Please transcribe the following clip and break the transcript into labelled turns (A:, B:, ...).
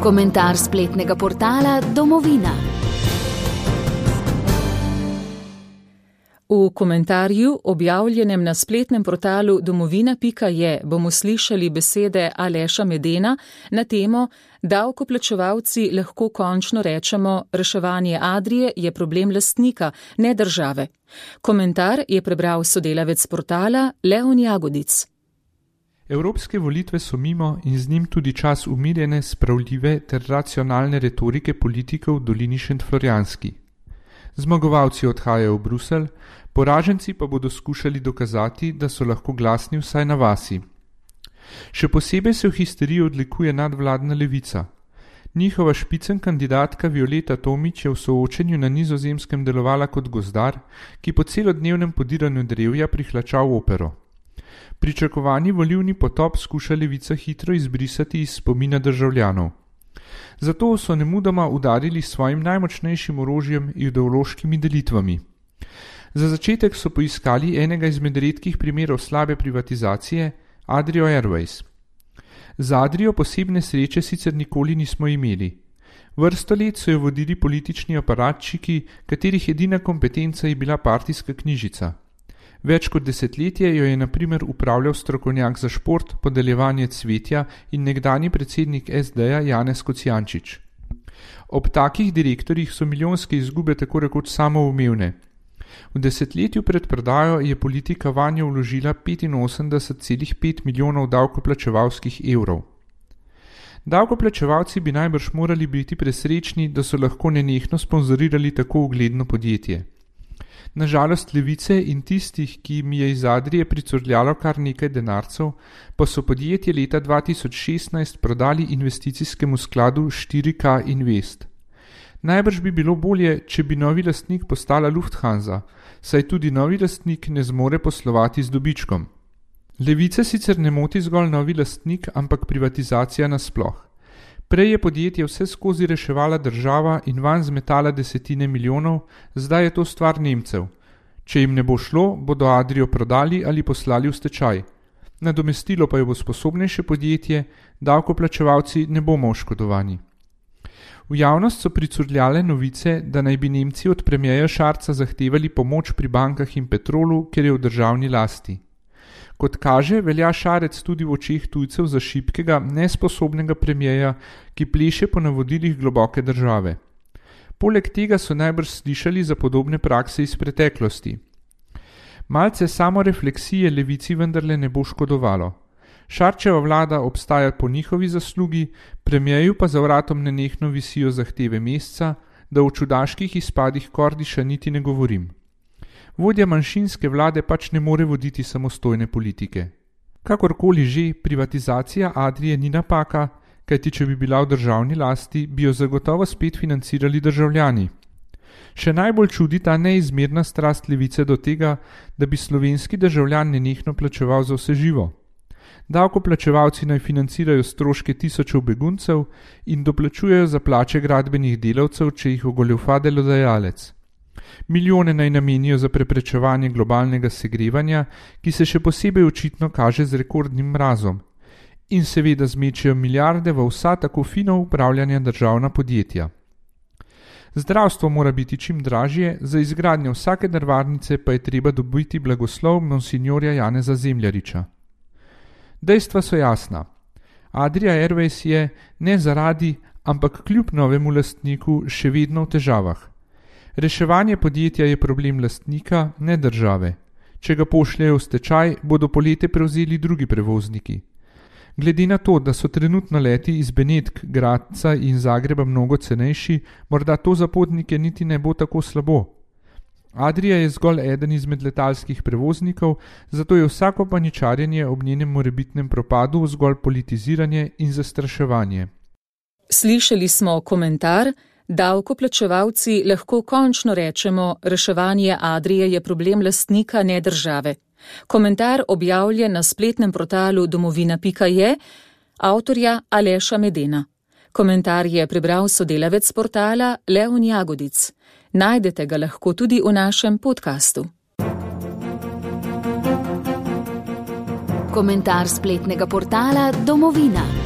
A: Komentar spletnega portala Domovina.
B: V komentarju, objavljenem na spletnem portalu domovina.je, bomo slišali besede Aleša Medena na temo Davkoplačevalci lahko končno rečemo, reševanje Adrie je problem lastnika, ne države. Komentar je prebral sodelavec portala Leon Jagodic.
C: Evropske volitve so mimo in z njim tudi čas umirjene, spravljive ter racionalne retorike politikov v dolini Šentflorjanski. Zmagovalci odhajajo v Bruselj, poraženci pa bodo skušali dokazati, da so lahko glasni vsaj na vasi. Še posebej se v histeriji odlikuje nadvladna levica. Njihova špicen kandidatka Violeta Tomić je v soočenju na Nizozemskem delovala kot gozdar, ki po celodnevnem podiranju drevja prihlača v opero. Pričakovani volilni potop skuša levica hitro izbrisati iz spomina državljanov. Zato so nemudoma udarili s svojim najmočnejšim orožjem ideološkimi delitvami. Za začetek so poiskali enega izmed redkih primerov slabe privatizacije, Adrio Airways. Za Adrio posebne sreče sicer nikoli nismo imeli. Vrsto let so jo vodili politični aparatčiki, katerih edina kompetenca je bila partijska knjižica. Več kot desetletje jo je na primer upravljal strokovnjak za šport, podeljevanje cvetja in nekdanji predsednik SD-ja Janez Kocijančič. Ob takih direktorjih so milijonske izgube tako rekoč samoumevne. V desetletju pred prodajo je politika vanjo vložila 85,5 milijonov davkoplačevalskih evrov. Davkoplačevalci bi najbrž morali biti presrečni, da so lahko nenehno sponzorirali tako ugledno podjetje. Nažalost levice in tistih, ki jim je iz Adrije pricurljalo kar nekaj denarcev, pa so podjetje leta 2016 prodali investicijskemu skladu 4K Invest. Najbrž bi bilo bolje, če bi novi lastnik postala Lufthansa, saj tudi novi lastnik ne zmore poslovati z dobičkom. Levice sicer ne moti zgolj novi lastnik, ampak privatizacija nasploh. Prej je podjetje vse skozi reševala država in vanj zmetala desetine milijonov, zdaj je to stvar Nemcev. Če jim ne bo šlo, bodo Adrio prodali ali poslali v stečaj. Nadomestilo pa jo bo sposobnejše podjetje, davkoplačevalci ne bomo oškodovani. V javnost so pricurljale novice, da naj bi Nemci od premierja Scharza zahtevali pomoč pri bankah in Petrolu, ker je v državni lasti. Kot kaže, velja Šarec tudi v očeh tujcev za šibkega, nesposobnega premierja, ki pleše po navodilih globoke države. Poleg tega so najbrž slišali za podobne prakse iz preteklosti. Malce samorefleksije levici vendarle ne bo škodovalo. Šarčeva vlada obstaja po njihovi zaslugi, premierju pa za vratom nenehno visijo zahteve mesca, da o čudaških izpadih Kordiša niti ne govorim. Vodja manjšinske vlade pač ne more voditi samostojne politike. Kakorkoli že, privatizacija Adrije ni napaka, kajti če bi bila v državni lasti, bi jo zagotovo spet financirali državljani. Še najbolj čudi ta neizmerna strast levice do tega, da bi slovenski državljan nenehno plačeval za vse živo. Davkoplačevalci naj financirajo stroške tisočev beguncev in doplačujejo za plače gradbenih delavcev, če jih ogoljufa delodajalec. Milijone naj namenijo za preprečevanje globalnega segrevanja, ki se še posebej očitno kaže z rekordnim mrazom. In seveda zmečejo milijarde v vsa tako fino upravljanja državna podjetja. Zdravstvo mora biti čim dražje, za izgradnjo vsake drvarnice pa je treba dobiti blagoslov monsinjorja Janeza Zemljariča. Dejstva so jasna. Adria Airways je ne zaradi, ampak kljub novemu lastniku še vedno v težavah. Reševanje podjetja je problem lastnika, ne države. Če ga pošljejo v stečaj, bodo polete prevzeli drugi prevozniki. Glede na to, da so trenutno leti iz Benetk, Gradca in Zagreba mnogo cenejši, morda to za potnike niti ne bo tako slabo. Adria je zgolj eden izmed letalskih prevoznikov, zato je vsako paničarjenje ob njenem morebitnem propadu zgolj politiziranje in zastraševanje.
B: Slišali smo komentar: Davkoplačevalci lahko končno rečemo, reševanje Adrije je problem lastnika, ne države. Komentar objavljen na spletnem portalu domovina.je, avtorja Aleša Medena. Komentar je prebral sodelavec portala Leon Jagodic. Najdete ga lahko tudi v našem podkastu.
A: Komentar spletnega portala Domovina.